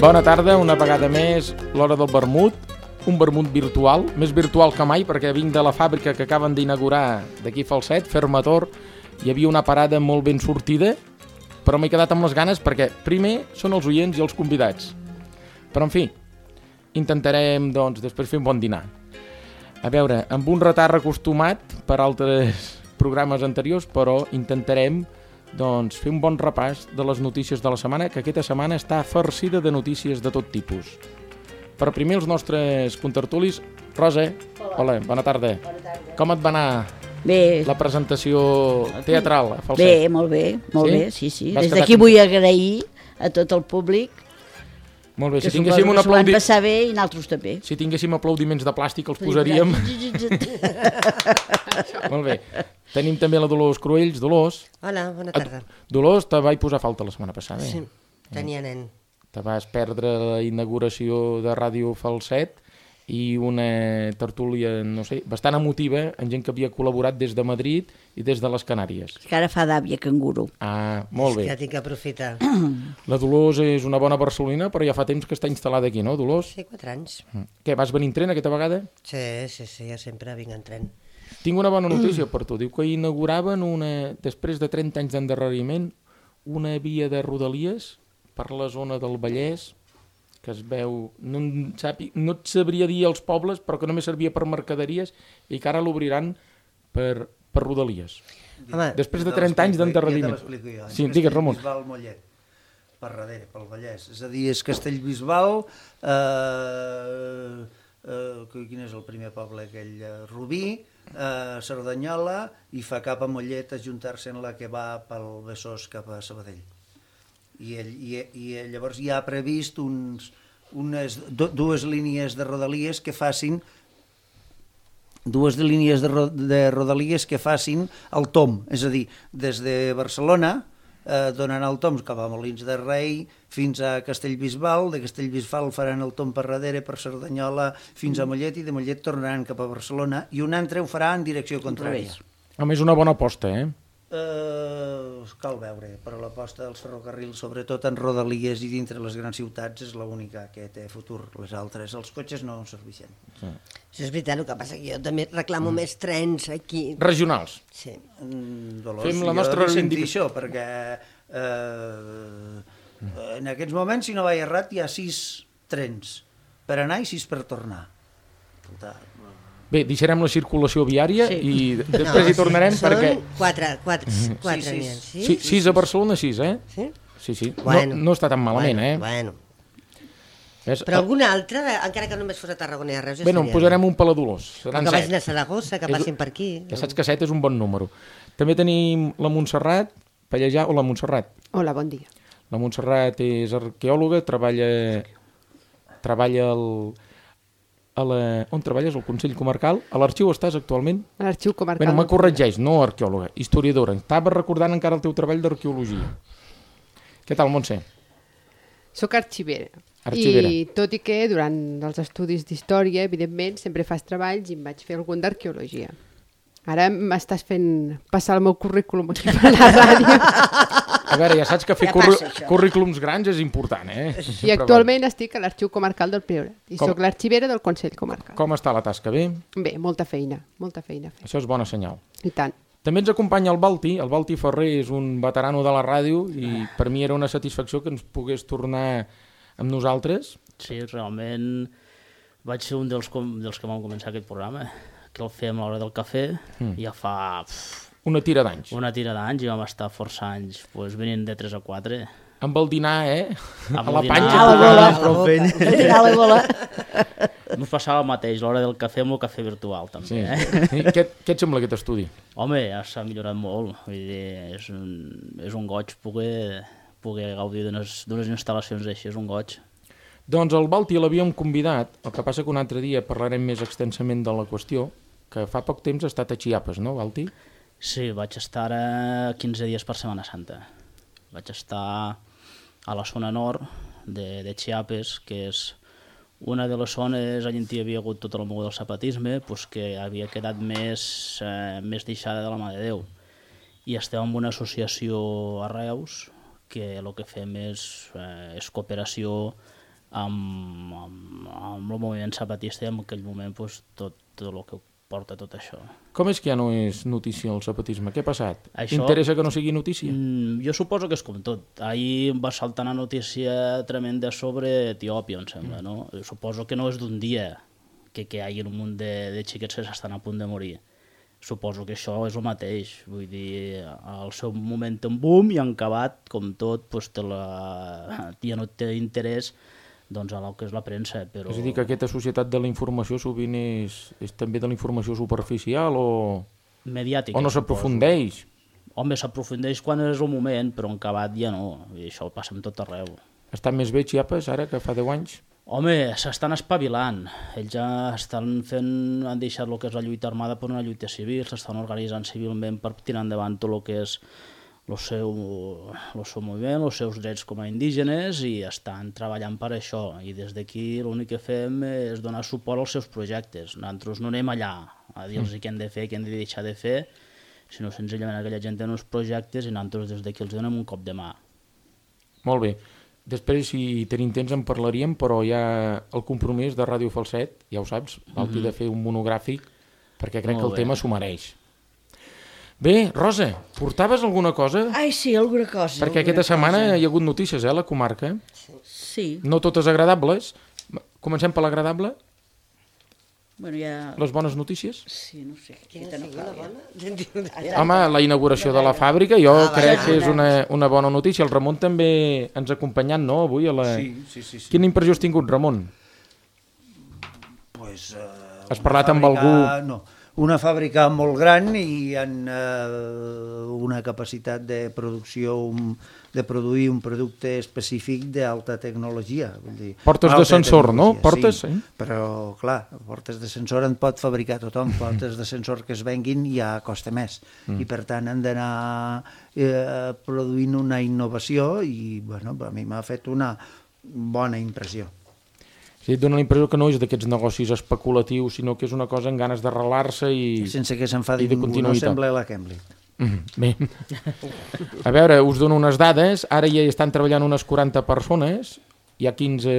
Bona tarda, una vegada més, l'hora del vermut, un vermut virtual, més virtual que mai, perquè vinc de la fàbrica que acaben d'inaugurar d'aquí Falset, Fermator, hi havia una parada molt ben sortida, però m'he quedat amb les ganes perquè primer són els oients i els convidats. Però, en fi, intentarem, doncs, després fer un bon dinar. A veure, amb un retard acostumat per altres programes anteriors, però intentarem doncs, fer un bon repàs de les notícies de la setmana, que aquesta setmana està farcida de notícies de tot tipus. Per primer, els nostres contertulis. Rosa, hola, bona tarda. Bona tarda. Com et va anar Bé, la presentació teatral a Falset? bé, molt bé, sí. Vas Des quedar d'aquí vull agrair a tot el públic, Molt bé, que si tinguéssim, suposo que s'ho van passar bé i nosaltres també. si tinguéssim aplaudiments de plàstic els posaríem. Molt bé. Tenim també la Dolors Cruells. Dolors. Hola, bona tarda. Dolors, te vaig posar falta la setmana passada. Sí, tenia nen. Te vas perdre la inauguració de Ràdio Falset i una tertúlia, no sé, bastant emotiva, amb gent que havia col·laborat des de Madrid i des de les Canàries. Que ara fa d'àvia canguro. Ah, molt bé. Ja tinc que aprofitar. La Dolors és una bona barcelonina, però ja fa temps que està instal·lada aquí, no, Dolors? Sí, 4 anys. Què, vas venir en tren aquesta vegada? Sí, jo sempre vinc en tren. Tinc una bona notícia per tu. Diu que inauguraven, després de 30 anys d'endarreriment, una via de Rodalies per la zona del Vallès, que es veu, no et sabria dir els pobles, però que només servia per mercaderies i que ara l'obriran per Rodalies. Home, Després de 30 anys d'endarreriment. Ja te l'explico jo. Sí, digues, Ramon. Castellbisbal Mollet, per darrere, pel Vallès. És a dir, és Castellbisbal, quin és el primer poble aquell? Rubí, Cerdanyola, i fa cap a Mollet a juntar-se en la que va pel Besòs cap a Sabadell. I llavors ja ha previst dues línies de Rodalies que facin el tom, és a dir, des de Barcelona donant el tom cap a Molins de Rei fins a Castellbisbal, de Castellbisbal faran el tom per darrere per Cerdanyola fins a Mollet i de Mollet tornaran cap a Barcelona i un altre ho farà en direcció contrària. Home, és una bona aposta, eh? Cal veure, però l'aposta dels ferrocarrils, sobretot en Rodalies i dintre les grans ciutats, és l'única que té futur. Les altres, els cotxes no serveixen. això és veritat, el que passa que jo també reclamo més trens aquí. Regionals. Sí. Dolors, Fem la jo nostra he de sentir reivindicació. això, perquè en aquests moments, si no vaig errat, hi ha 6 trens per anar i 6 per tornar. Bé, deixarem la circulació viària Sí. i després hi tornarem perquè... Són 4 Sí. 6 a Barcelona, 6, eh? Sí? Sí. Bueno. No està tan malament, eh? Bueno. Ves? Però alguna altra, encara que només fos a Tarragona i a Reus, Bé, no, en posarem un per la Dolors. Que Seran vagin a 7. Saragossa, que passin per aquí. Ja saps que 7 és un bon número. També tenim la Montserrat Pallejà. Hola, Montserrat. Hola, bon dia. La Montserrat és arqueòloga, treballa on treballes? Al Consell Comarcal? A l'arxiu estàs actualment? A l'Arxiu Comarcal. Bé, me corregeix, no arqueòloga, historiadora. Estava recordant encara el teu treball d'arqueologia. Què tal, Montse? Soc arxivera. Arxivera. I tot i que durant els estudis d'història, evidentment, sempre fas treballs i em vaig fer algun d'arqueologia. Ara m'estàs fent passar el meu currículum aquí per la ràdio. A veure, ja saps que fer Ja passa, això. currículums grans és important, eh? I actualment estic a l'Arxiu Comarcal del Priorat. I Com? sóc l'arxivera del Consell Comarcal. Com està la tasca? Bé? Bé, molta feina a fer. Això és bona senyal. I tant. També ens acompanya el Balti Ferrer és un veterano de la ràdio i per mi era una satisfacció que ens pogués tornar amb nosaltres. Sí, realment vaig ser un dels que vam començar aquest programa, que el fèiem a l'hora del cafè, ja fa Una tira d'anys. una tira d'anys i vam estar força anys venint de 3 a 4. Amb el dinar, eh? Amb A el la dinar. panxa. A la bola. Prou fent. Al final la bola. Ens passava el mateix, a l'hora del cafè amb el cafè virtual, també. Sí. Eh? Què et sembla aquest estudi? Home, ja s'ha millorat molt. Vull dir, és un goig poder gaudir d'unes instal·lacions així, és un goig. Doncs el Balti l'havíem convidat, el que passa que un altre dia parlarem més extensament de la qüestió, que fa poc temps ha estat a Chiapas, no, Balti? Sí, vaig estar ara 15 dies per Setmana Santa. Vaig estar a la zona nord de Chiapas, que és una de les zones on hi havia hagut tot el món del zapatisme, doncs que havia quedat més deixada de la mà de Déu. I estem en una associació a Reus que el que fem és cooperació amb el moviment zapatista i en aquell moment pues, tot el que porta tot això. Com és que ja no és notícia el zapatisme? Què ha passat? Això- Interessa que no sigui notícia? Jo suposo que és com tot. Ahir va saltar una notícia tremenda sobre Etiòpia, em sembla, no? Suposo que no és d'un dia que hi hagi un munt de xiquets que s'estan a punt de morir. Suposo que això és el mateix. Vull dir, al seu moment en boom i en acabat, com tot, doncs ja no té interès doncs, a el que és la premsa. Però... És a dir, que aquesta societat de la informació sovint és també de la informació superficial o mediàtica. no s'aprofundeix? Home, s'aprofundeix quan és el moment, però en acabat ja no. I això ho passa en tot arreu. Estan més bé Chiapas ara que fa 10 anys? Home, s'estan espavilant. Ells ja han deixat el que és la lluita armada per una lluita civil, s'estan organitzant civilment per tirar endavant tot el que és el seu moviment, els seus drets com a indígenes i estan treballant per això. I des d'aquí l'únic que fem és donar suport als seus projectes. Nosaltres no anem allà a dir-los què han de fer, què han de deixar de fer, sinó senzillament aquella gent té uns projectes i nosaltres des d'aquí els donem un cop de mà. Molt bé. Després, si tenim temps, en parlaríem, però hi ha el compromís de Ràdio Falset, ja ho saps, l'altre de fer un monogràfic, perquè crec que el tema s'ho mereix. Bé, Rosa, portaves alguna cosa? Ai, sí, alguna cosa. Perquè aquesta setmana hi ha hagut notícies, a la comarca. Sí. No totes agradables. Comencem per l'agradable? Bueno, ja... Les bones notícies? Sí, no sé. Quina No sigui la cal, bona? Home, la inauguració de la fàbrica, jo crec que és una bona notícia. El Ramon també ens ha acompanyat, no?, avui a la... Sí. Quina impressió has tingut, Ramon? Pues, Has parlat amb algú... No, una fàbrica molt gran i amb una capacitat de producció, de produir un producte específic d'alta tecnologia. Vull dir, Portes de sensor, no? Portes, sí, però clar, portes de sensor en pot fabricar tothom, portes de sensor que es venguin ja costa més. I per tant han d'anar produint una innovació i bueno, a mi m'ha fet una bona impressió. Sí, et dona la impressió que no és d'aquests negocis especulatius, sinó que és una cosa amb ganes d'arrelar-se i... Sense que s'enfadi ningú, no sembla la Cambridge. Bé, a veure, us dono unes dades, ara ja estan treballant unes 40 persones, hi ha 15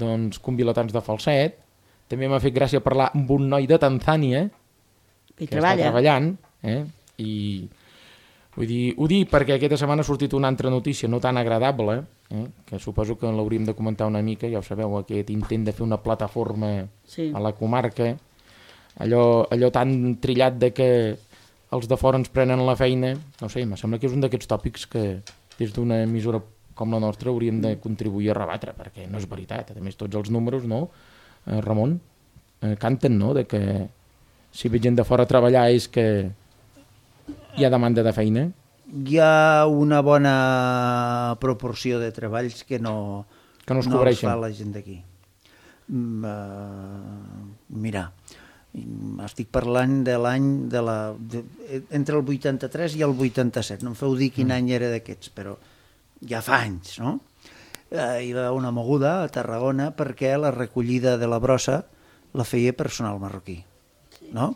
doncs, convilatans de Falset, també m'ha fet gràcia parlar amb un noi de Tanzània, que està treballant, i vull dir, ho dic perquè aquesta setmana ha sortit una altra notícia no tan agradable, que suposo que l'hauríem de comentar una mica, ja ho sabeu, aquest intent de fer una plataforma a la comarca, allò tan trillat de que els de fora ens prenen la feina, no sé, em sembla que és un d'aquests tòpics que des d'una emissora com la nostra hauríem de contribuir a rebatre, perquè no és veritat. A més, tots els números, no, Ramon, canten, no?, de que si ve gent de fora a treballar és que hi ha demanda de feina. Hi ha una bona proporció de treballs que no es cobreixen. fa la gent d'aquí. Mira, estic parlant de l'any entre el 83 i el 87, no em feu dir quin any era d'aquests, però ja fa anys, no? Hi va una moguda a Tarragona perquè la recollida de la brossa la feia personal marroquí, no?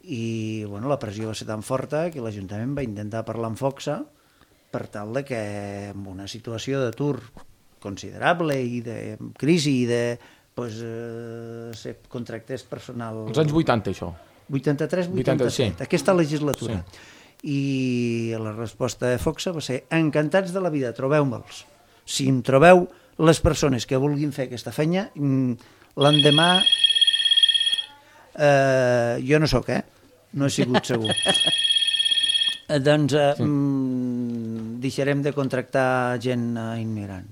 I bueno, la pressió va ser tan forta que l'Ajuntament va intentar parlar amb Foxa per tal de que en una situació d'atur considerable i de crisi i de se contractés personal... Els anys 80, això. 83-87, sí. Aquesta legislatura. Sí. I la resposta de Foxa va ser: encantats de la vida, trobeu-me'ls. Si em trobeu les persones que vulguin fer aquesta feina, l'endemà... jo no sóc, no he sigut segur. Doncs deixarem de contractar gent immigrant.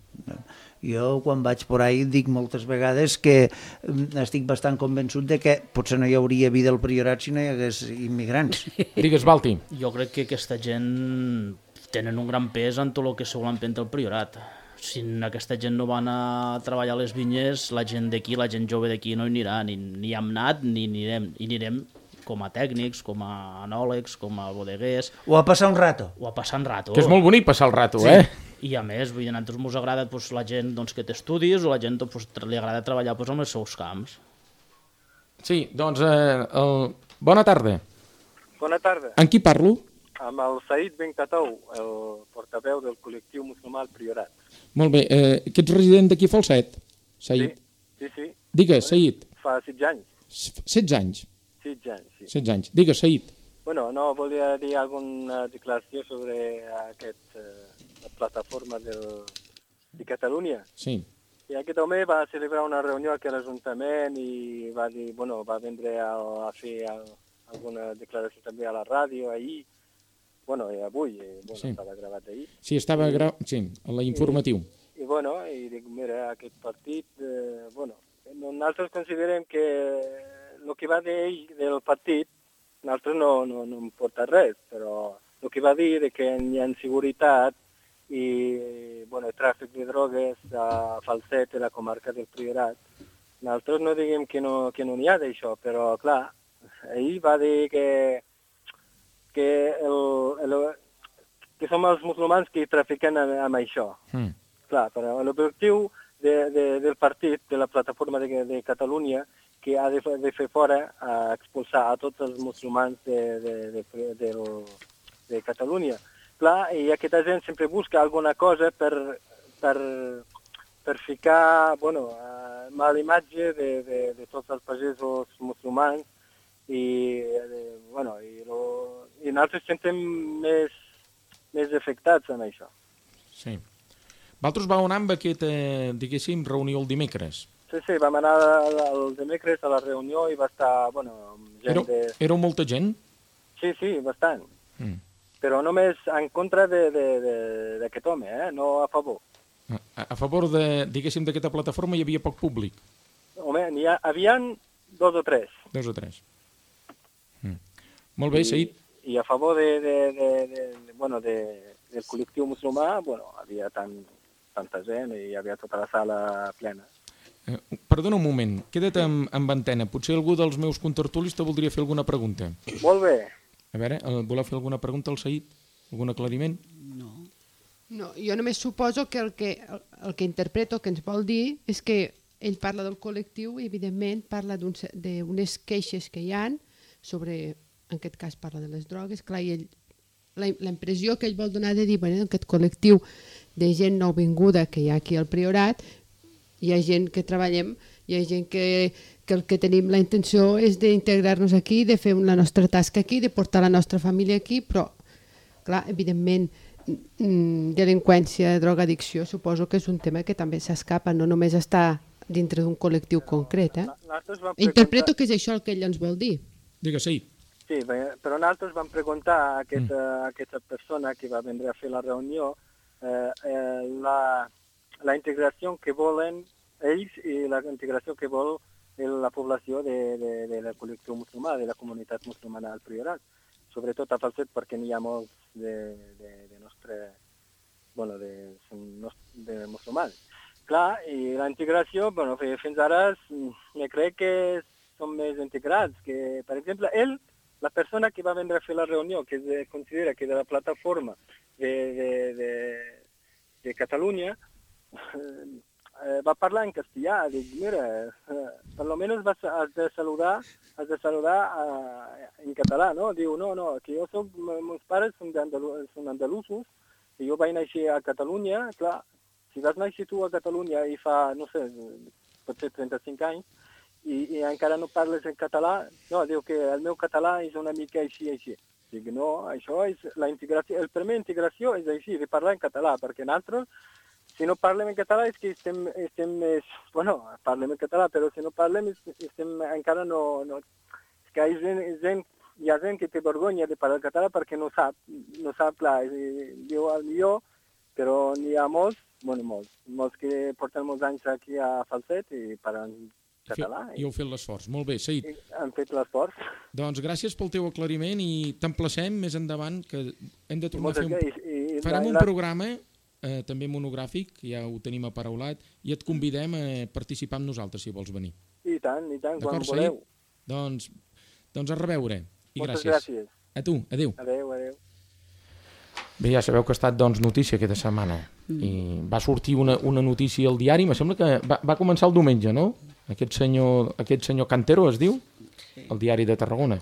Jo, quan vaig por ahí, dic moltes vegades que estic bastant convençut de que potser no hi hauria vida al Priorat si no hi hagués immigrants. Digues, Balti. Jo crec que aquesta gent tenen un gran pes en tot el que se vol emprendre el Priorat. Si aquesta gent no van a treballar a les vinyes, la gent d'aquí, la gent jove d'aquí no hi anirà, ni hem anat ni anirem. I anirem com a tècnics, com a anòlegs, com a bodeguers... O a passar un rato. O a passar un rato. Que és molt bonic passar el rato, sí. I a més, vull dir, a nosaltres ens agrada la gent que té estudis o la gent li agrada treballar en els seus camps. Sí, doncs, bona tarda. Bona tarda. Amb qui parlo? amb el Saïd Ben Katou, el portaveu del col·lectiu musulmà al Priorat. Molt bé, que ets resident d'aquí a Falset, Saïd? Sí. Digues, Saïd. Fa 16 anys. 16 anys? 16 anys, sí. 16 anys. Digues, Saïd. Bueno, no, volia dir alguna declaració sobre la plataforma de Catalunya. Sí. I aquest home va celebrar una reunió aquí a l'Ajuntament i va dir, bueno, va vindre a fer alguna declaració també a la ràdio ahir, bueno, i avui, bueno, Sí. estava gravat ahir. Sí, estava sí, a la informatiu. I bueno, i dic, mira, aquest partit, bueno, nosaltres considerem que el que va dir ell del partit, nosaltres no importa res, però el que va dir de que hi ha inseguretat i, bueno, el tràfic de drogues a Falset, a la comarca del Priorat, nosaltres no diguem que no n'hi ha d'això, però, clar, ell va dir que som els musulmans que trafiquen amb això. Clar, però l'objectiu del partit, de la plataforma de Catalunya, que ha de fer fora, expulsar a tots els musulmans de Catalunya. Clar, i aquesta gent sempre busca alguna cosa per ficar, bueno, mala imatge de tots els pagesos musulmans i nosaltres sentem més afectats amb això. Sí. Vosaltres vau anar amb aquesta, diguéssim, reunió el dimecres. Sí, vam anar el dimecres a la reunió i va estar, bueno, gent Éreu molta gent? Sí, bastant. Però només en contra d'aquest home, no a favor. A favor, diguéssim, d'aquesta plataforma hi havia poc públic? Home, n'hi havien 2 o 3. 2 o 3. Molt bé, Saïd. I a favor del col·lectiu musulmà, bueno, havia tanta gent i hi havia tota la sala plena. Perdona un moment, queda't amb antena. Potser algú dels meus contertulis te voldria fer alguna pregunta. Molt bé. A veure, voleu fer alguna pregunta al Saïd? Algun aclariment? No, jo només suposo que el que interpreto que ens vol dir és que ell parla del col·lectiu i, evidentment, parla d'unes queixes que hi han sobre, en aquest cas parla de les drogues, clar, i la impressió que ell vol donar de dir, bueno, aquest col·lectiu de gent nouvinguda que hi ha aquí al Priorat, hi ha gent que treballem, hi ha gent que el que tenim la intenció és d'integrar-nos aquí, de fer la nostra tasca aquí, de portar la nostra família aquí, però, clar, evidentment, delinqüència, drogadicció, suposo que és un tema que també s'escapa, no només està dintre d'un col·lectiu concret. Interpreto que és això el que ell ens vol dir. Digues, Saïd. Sí, però nosaltres vam preguntar a aquesta persona que va vindre a fer la reunió la integració que volen ells i la integració que vol la població del col·lectiu musulmà, de la comunitat musulmana al Priorat. Sobretot a Falset perquè n'hi ha molts de musulmans. Clar, i la integració, bueno, fins ara crec que són més integrats, que, per exemple, la persona que va vindre a fer la reunió, que es considera que de la plataforma de Catalunya, va parlar en castellà, dic, mira, per lo menos has de saludar en català, no? Diu, no, que meus pares són andalusos, i jo vaig néixer a Catalunya, clar, si vas néixer tu a Catalunya i fa, no sé, potser 35 anys, i encara no parles en català, no, diu que el meu català és una mica així. Dic, no, això és la integració, la primera integració és així, de parlar en català, perquè nosaltres, si no parlem en català és que estem més... Bueno, parlem en català, però si no parlem encara no... És que hi ha gent que té vergonya de parlar català perquè no sap, clar, diu el millor, però n'hi ha molts que porten molts anys aquí a Falset i parlen català. I heu fet l'esforç. Molt bé, Saïd. Han fet l'esforç. Doncs gràcies pel teu aclariment i t'emplacem més endavant que hem de tornar a fer farem un programa també monogràfic, ja ho tenim aparaulat, i et convidem a participar amb nosaltres, si vols venir. I tant, quan voleu. Doncs a reveure. I moltes gràcies. A tu, adéu. Adéu. Bé, ja sabeu que ha estat notícia aquesta setmana. I va sortir una notícia al diari, me sembla que va començar el diumenge, no? Aquest senyor Cantero es diu, el diari de Tarragona.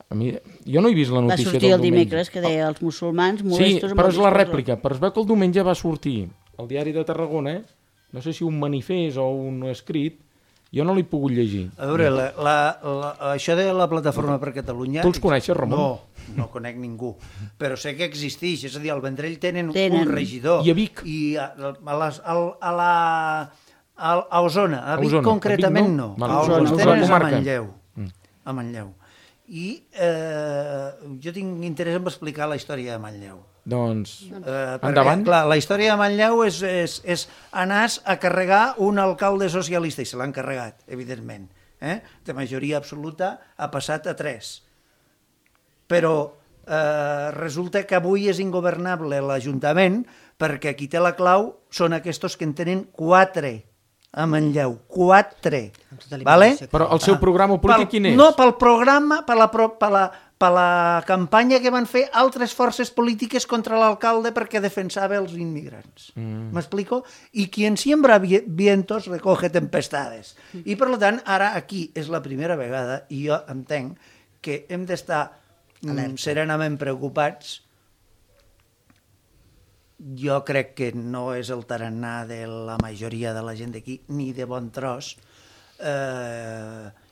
Jo no he vist la Va notícia sortir del el diumenge. dimecres que deia els musulmans Sí, molestos... però és la rèplica. Però es veu que el diumenge va sortir al diari de Tarragona, no sé si un manifest o un escrit, jo no l'he pogut llegir. A veure, això de la Plataforma per Catalunya... Tu els coneixes, Ramon? No conec ningú, però sé que existeix, és a dir, al Vendrell tenen Tenen. un regidor. I a Vic? I a Osona, a Vic Osona. concretament A Vic no. no? A Osona, Osona Osona és a comarca. Manlleu. A Manlleu. I jo tinc interès en explicar la història de Manlleu. Doncs, Perquè, endavant. clar, la història de Manlleu és anar a carregar un alcalde socialista, i se l'han carregat, evidentment. De majoria absoluta ha passat a 3. Però resulta que avui és ingovernable l'Ajuntament perquè qui té la clau són aquests que en tenen 4 a Manlleu. 4. Vale? Però el seu programa polític quin és? No, pel programa, per la campanya que van fer altres forces polítiques contra l'alcalde perquè defensava els immigrants. M'explico? I qui en siembra vientos recoge tempestades. I per tant, ara aquí és la primera vegada i jo entenc que hem d'estar serenament preocupats. Jo crec que no és el tarannà de la majoria de la gent d'aquí, ni de bon tros,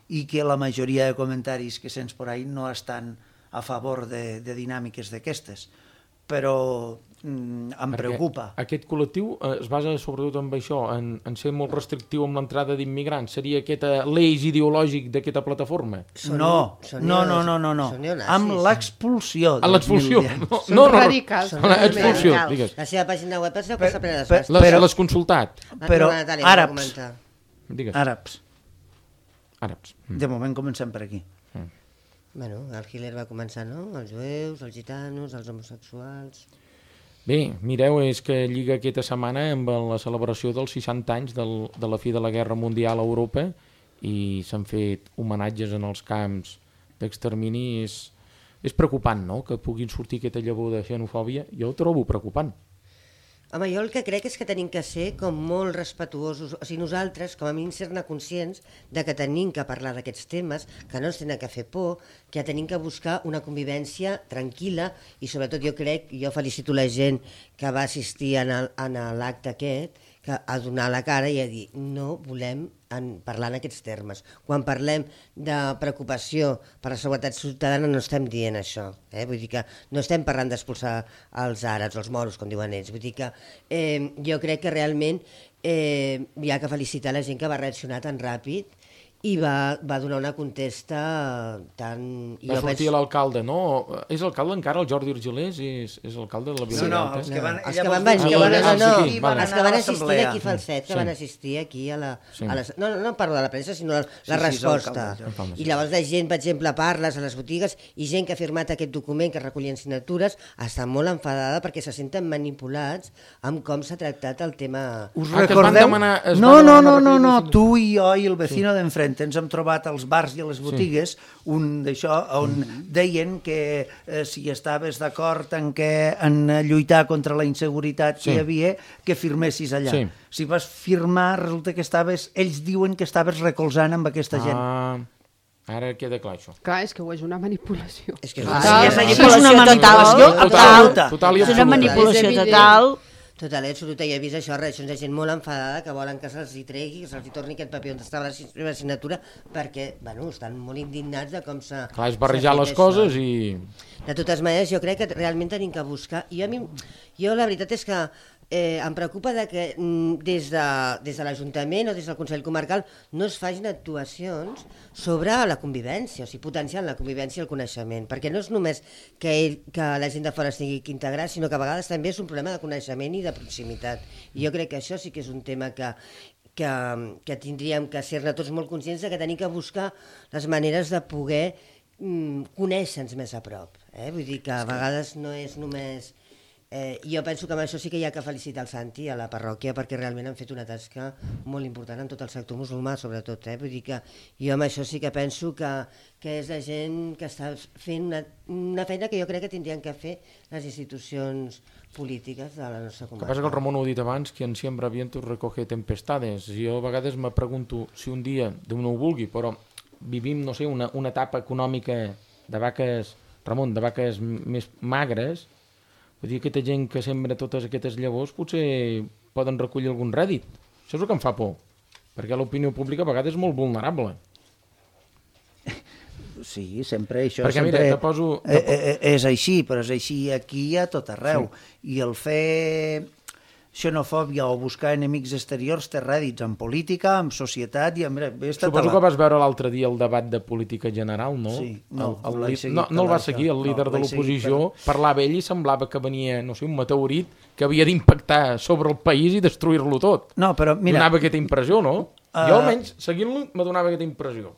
i que la majoria de comentaris que sents por ahí no estan a favor de dinàmiques d'aquestes. Però em preocupa. Aquest col·lectiu es basa sobretot en això, en ser molt restrictiu amb l'entrada d'immigrants. Seria aquest l'eix ideològic d'aquesta plataforma? No. Amb l'expulsió. A l'expulsió? Són radicals. L'expulsió, digues. La seva pàgina web és la plena de les L'has consultat? Però àrabs. Digues. Àrabs. De moment comencem per aquí. Bueno, el Hitler va començar, no? Els jueus, els gitanos, els homosexuals... Bé, mireu, és que lliga aquesta setmana amb la celebració dels 60 anys de la fi de la Guerra Mundial a Europa i s'han fet homenatges en els camps d'extermini. És preocupant, no?, que puguin sortir aquesta llavor de xenofòbia. Jo ho trobo preocupant. Home, jo el que crec és que tenim que ser com molt respetuosos, o sigui, nosaltres, com a mínim, ser-ne conscients de que tenim que parlar d'aquests temes, que no ens tenen que fer por, que tenim que buscar una convivència tranquil·la i sobretot jo crec, jo felicito la gent que va assistir a l'acte aquest, que a donar la cara i a dir no volem parlar en aquests termes. Quan parlem de preocupació per la seguretat ciutadana no estem dient això. Vull dir que no estem parlant d'expulsar els àrabs, els moros, com diuen ells. Vull dir que jo crec que realment hi ha que felicitar la gent que va reaccionar tan ràpid i va donar una contesta tan... Va sortir l'alcalde, no? És alcalde encara, el Jordi Argelers? És alcalde de la Vila Alta? Els que van venir, els que van assistir aquí Falset, que van assistir aquí a la... No parlo de la premsa, sinó la resposta. I llavors la gent, per exemple, parles a les botigues i gent que ha firmat aquest document que recollien signatures està molt enfadada perquè se senten manipulats amb com s'ha tractat el tema... Us recordeu? No, tu i jo i el vecino d'enfrente ens hem trobat als bars i a les botigues un d'això on deien que si estaves d'acord en lluitar contra la inseguretat que hi havia, que firmessis allà. Si vas firmar, resulta que ells diuen que estaves recolzant amb aquesta gent. Ara queda clar això. Clar, és que ho és una manipulació. És que és una manipulació total. És una manipulació total. Total, absoluta, i he vist això, reaccions de gent molt enfadada que volen que se'ls hi tregui, que se'ls hi torni aquest paper on estava la signatura, perquè, bueno, estan molt indignats de com s'ha... Clar, és barrejar les coses i... De totes maneres, jo crec que realment tenim que buscar... Jo la veritat és que em preocupa que des de l'Ajuntament o des del Consell Comarcal no es facin actuacions sobre la convivència, o sigui, potenciant la convivència i el coneixement, perquè no és només que la gent de fora estigui integrada, sinó que a vegades també és un problema de coneixement i de proximitat. I jo crec que això sí que és un tema que tindríem que ser-ne tots molt conscients de que tenim que buscar les maneres de poder conèixer-nos més a prop. Vull dir que a vegades no és només... Jo penso que amb això sí que hi ha que felicitar el Santi a la parròquia perquè realment han fet una tasca molt important en tot el sector musulmà sobretot, vull dir que jo amb això sí que penso que és la gent que està fent una feina que jo crec que tindrien que fer les institucions polítiques de la nostra comarca. El que passa que el Ramon ho ha dit abans, que en siembra vientos recoge tempestades. Jo a vegades me pregunto si un dia, Déu no ho vulgui, però vivim, no sé, una etapa econòmica vaques, Ramon, de vaques més magres, vull dir, aquesta gent que sembra totes aquestes llavors potser poden recollir algun rèdit. Això és el que em fa por, perquè l'opinió pública a vegades és molt vulnerable. Sí, sempre això perquè, sempre mira, te poso... és així, però és així aquí a tot arreu. Sí. I el fer xenofòbia o buscar enemics exteriors té rèdits en política, en societat i en... Suposo que vas veure l'altre dia el debat de política general, no? Sí, no el va seguir, el líder de l'oposició parlava ell i semblava que venia, no sé, un meteorit que havia d'impactar sobre el país i destruir-lo tot. No, però mira... Donava aquesta impressió, no? Jo almenys, seguint-lo, me donava aquesta impressió.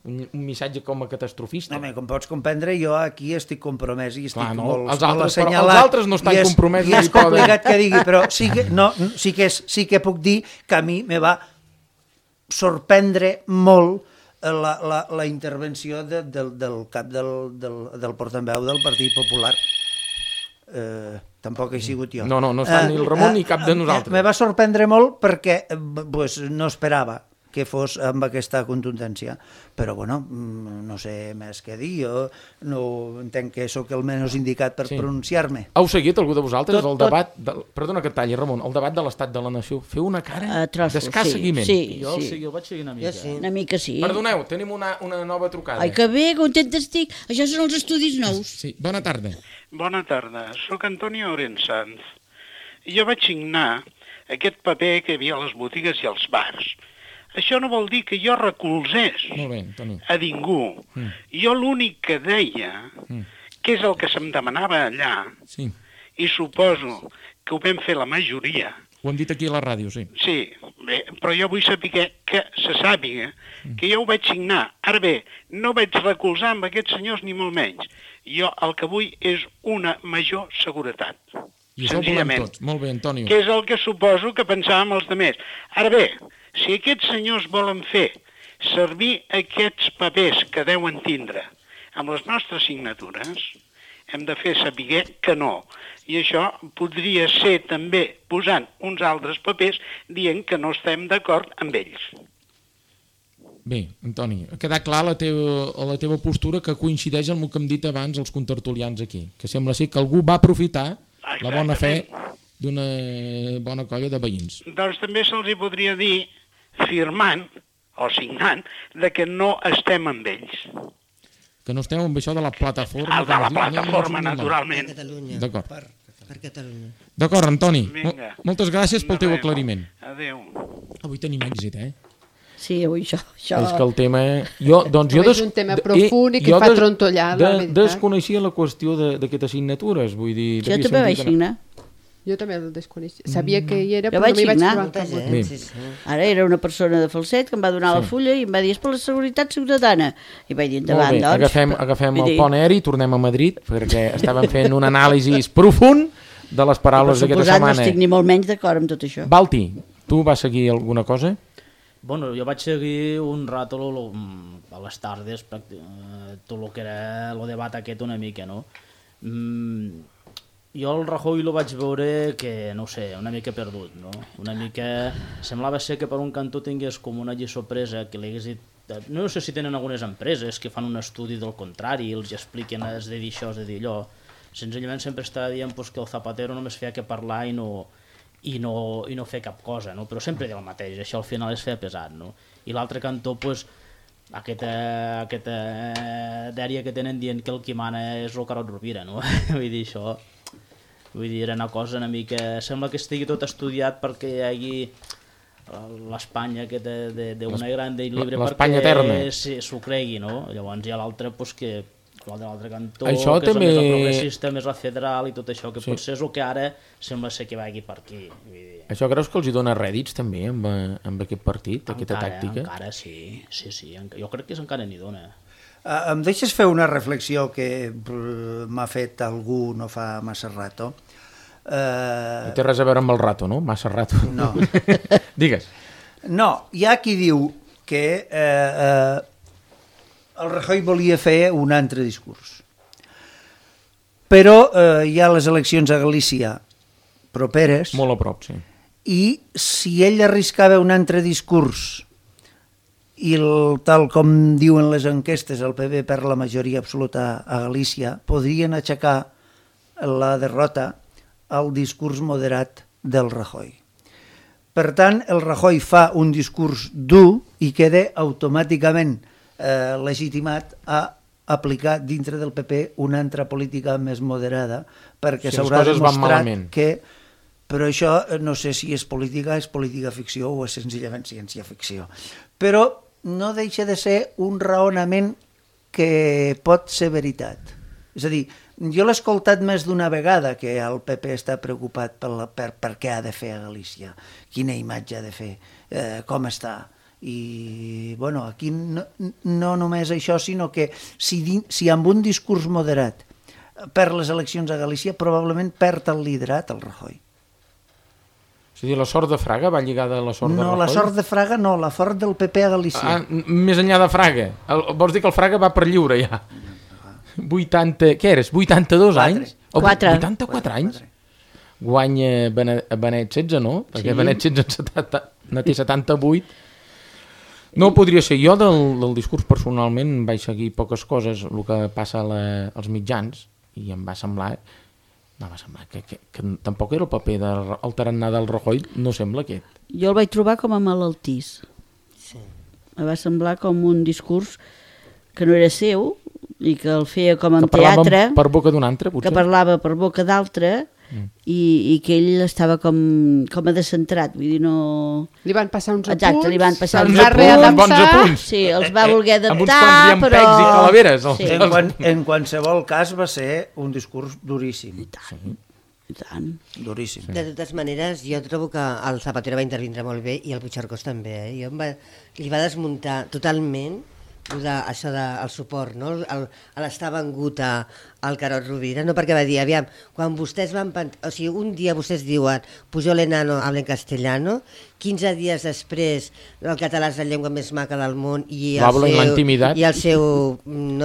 Un missatge com a catastrofista. No, com pots comprendre, jo aquí estic compromès i estic molt els assenyalat. Altres no estan compromesos. I és complicat que digui, però sí que puc dir que a mi me va sorprendre molt la intervenció del cap del portaveu del Partit Popular. Tampoc he sigut jo. No està ni el Ramon ni cap de nosaltres. Me va sorprendre molt perquè no esperava que fos amb aquesta contundència. Però, bueno, no sé més què dir. Jo no entenc que sóc el menys indicat per pronunciar-me. Heu seguit, algú de vosaltres, el debat... Perdona que et talli, Ramon. El debat de l'estat de la nació. Feu una cara d'escàs seguiment. Jo el vaig seguir una mica. Una mica sí. Perdoneu, tenim una nova trucada. Ai, que bé, contenta estic. Això són els estudis nous. Sí, bona tarda. Bona tarda, sóc Antonio Orensanz. Jo vaig signar aquest paper que hi havia a les botigues i als bars. Això no vol dir que jo recolzés a ningú. Jo l'únic que deia, que és el que se'm demanava allà, i suposo que ho vam fer la majoria. Ho hem dit aquí a la ràdio, sí. Sí, bé, però jo vull saber que se sàpiga que jo ho vaig signar. Ara bé, no vaig recolzar amb aquests senyors ni molt menys. Jo el que vull és una major seguretat. I això ho volem tots. Molt bé, Antonio. Que és el que suposo que pensàvem els altres. Ara bé, si aquests senyors volen fer servir aquests papers que deuen tindre amb les nostres signatures, hem de fer saber que no. I això podria ser també posant uns altres papers dient que no estem d'acord amb ells. Bé, Antoni, ha quedat clar la teva postura que coincideix amb el que hem dit abans els contertulians aquí, que sembla ser que algú va aprofitar la bona fe d'una bona colla de veïns. Doncs també se'ls hi podria dir firmant o signant de que no estem amb ells. Que no estem amb això de la plataforma. De la plataforma, naturalment. D'acord. Per Catalunya. D'acord, Antoni. Moltes gràcies pel teu aclariment. Adéu. Avui tenim èxit, Sí, avui això. És que el tema... És un tema profund i que fa trontollar la veritat. Desconeixia la qüestió d'aquestes signatures, vull dir... Jo també vaig signar. Jo també el desconeixia. Sabia que hi era, però no m'hi vaig trobar. Ara era una persona de Falset que em va donar la fulla i em va dir és per la seguretat ciutadana. I vaig dir endavant, doncs. Agafem el pont aeri i tornem a Madrid, perquè estàvem fent un anàlisi profund de les paraules d'aquesta setmana. No estic ni molt menys d'acord amb tot això. Balti, tu vas seguir alguna cosa? Bueno, jo vaig seguir un rato a les tardes tot el que era el debat aquest una mica, no? Jo el Rajoy lo vaig veure que, no sé, una mica perdut, no? Una mica... Semblava ser que per un cantó tingués com una lliçó presa que li hagués dit... No sé si tenen algunes empreses que fan un estudi del contrari i els expliquen has de dir això, has de dir allò. Senzillament sempre estava dient que el Zapatero només feia que parlar i no fer cap cosa, no? Però sempre deia el mateix, això al final es feia pesat, no? I l'altre cantó, aquesta dèria que tenen dient que el qui mana és el Carod Rovira, no? Vull dir, això... Vull dir, era una cosa una mica... Sembla que estigui tot estudiat perquè hi hagi l'Espanya d'una gran i libre perquè s'ho cregui, no? Llavors hi ha l'altre que l'altre cantó, això que és també... la més progressista, més la federal i tot això, que potser és el que ara sembla ser que vagi per aquí. Vull dir. Això creus que els hi dona rèdits també amb aquest partit, aquesta tàctica? Encara sí. Jo crec que encara n'hi dona. Em deixes fer una reflexió que m'ha fet algú no fa massa rato. No té res a veure amb el rato, no? Massa rato. No. Digues. No, hi ha qui diu que el Rajoy volia fer un altre discurs. Però hi ha les eleccions a Galícia properes. Molt a prop, sí. I si ell arriscava un altre discurs i tal com diuen les enquestes, el PP perd la majoria absoluta a Galícia, podrien aixecar la derrota al discurs moderat del Rajoy. Per tant, el Rajoy fa un discurs dur i queda automàticament legitimat a aplicar dintre del PP una altra política més moderada, perquè s'haurà demostrat que... Però això no sé si és política ficció o és senzillament ciència-ficció. Però no deixa de ser un raonament que pot ser veritat. És a dir, jo l'he escoltat més d'una vegada que el PP està preocupat per què ha de fer a Galícia, quina imatge ha de fer, com està. I bueno, aquí no només això, sinó que si amb un discurs moderat per les eleccions a Galícia, probablement perd el liderat el Rajoy. És a dir, la sort de Fraga va lligada a la sort de Rajoy? No, la sort de Fraga no, la sort del PP a Galícia. Més enllà de Fraga. Vols dir que el Fraga va per lliure ja? 80... Què eres? 82 anys? 84 anys? Guanya Benet 16, no? Perquè Benet 16 no té 78. No podria ser. Jo del discurs personalment vaig seguir poques coses, el que passa als mitjans, i em va semblar... No, va semblar que tampoc era el paper del tarannà del Rajoy, no sembla aquest. Jo el vaig trobar com a malaltís. Sí. Em va semblar com un discurs que no era seu i que el feia com en teatre. Que parlava per boca d'un altre, potser? Que parlava per boca d'altre i que ell estava com a descentrat, vull dir, no... Li van passar uns apunts. Exacte, li van passar uns bons apunts. Sí, els va voler adaptar, amb uns quants llampecs i calaveres. Sí. En qualsevol cas va ser un discurs duríssim. I tant. Duríssim. De totes maneres, jo trobo que el Zapatero va intervindre molt bé i el Puigcercós també. Li va desmuntar totalment això del suport, no? L'estar vengut al Carod Rovira, no? Perquè va dir, aviam, quan vostès van... O sigui, un dia vostès diuen Pujol enano, hablen castellano, 15 dies després el català és la llengua més maca del món i el seu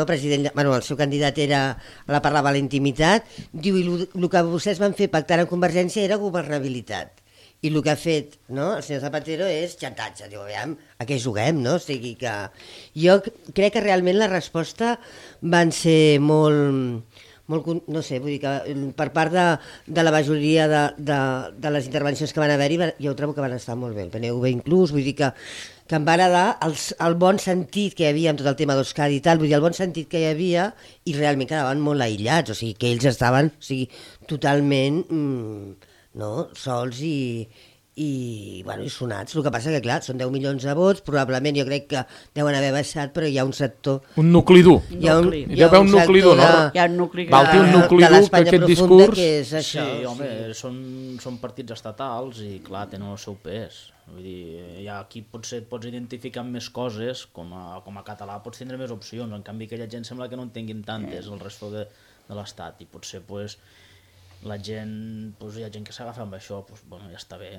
president, bueno, el seu candidat la parlava a la intimitat, diu, i el que vostès van fer pactar amb Convergència era governabilitat. I el que ha fet, no, el senyor Zapatero és xantatge, diu, aviam, a què juguem, no? O sigui que jo crec que realment la resposta van ser molt, no sé, vull dir que per part de la majoria de les intervencions que van haver-hi, jo trobo que van estar molt bé, el PNV inclús, vull dir que em va agradar el bon sentit que hi havia amb tot el tema d'Euskadi i tal, vull dir, el bon sentit que hi havia i realment quedaven molt aïllats, o sigui, que ells estaven totalment... sols i sonats. El que passa que, clar, són 10 milions de vots, probablement jo crec que deuen haver baixat, però hi ha un sector... Un nucli dur. Hi ha un nucli dur, no? Hi ha un nucli un nucli dur que aquest discurs... Que és això, sí, home, són partits estatals i, clar, tenen el seu pes. Vull dir, aquí potser et pots identificar amb més coses, com a català pots tindre més opcions, en canvi aquella gent sembla que no en tinguin tantes, el resto de l'Estat, i potser, doncs, la gent, hi ha gent que s'agafa amb això, bueno, ja està bé,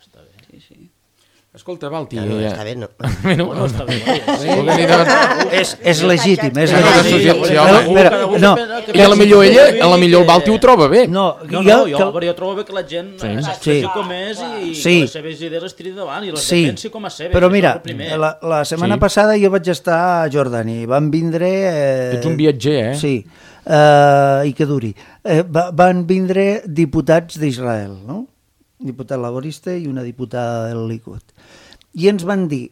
està bé. Sí. Escolta, Valti... No, està bé, no. No està bé. És legítim, és legítim. I a la millor el Valti ho troba bé. Jo trobo bé que la gent s'expressi com és i les seves idees es tiri davant i les defensi com a seves. Però mira, la setmana passada jo vaig estar a Jordània i van vindre... Ets un viatger, eh? Sí. I que duri. Van vindre diputats d'Israel, no? Diputat laborista i una diputada del Likud. I ens van dir,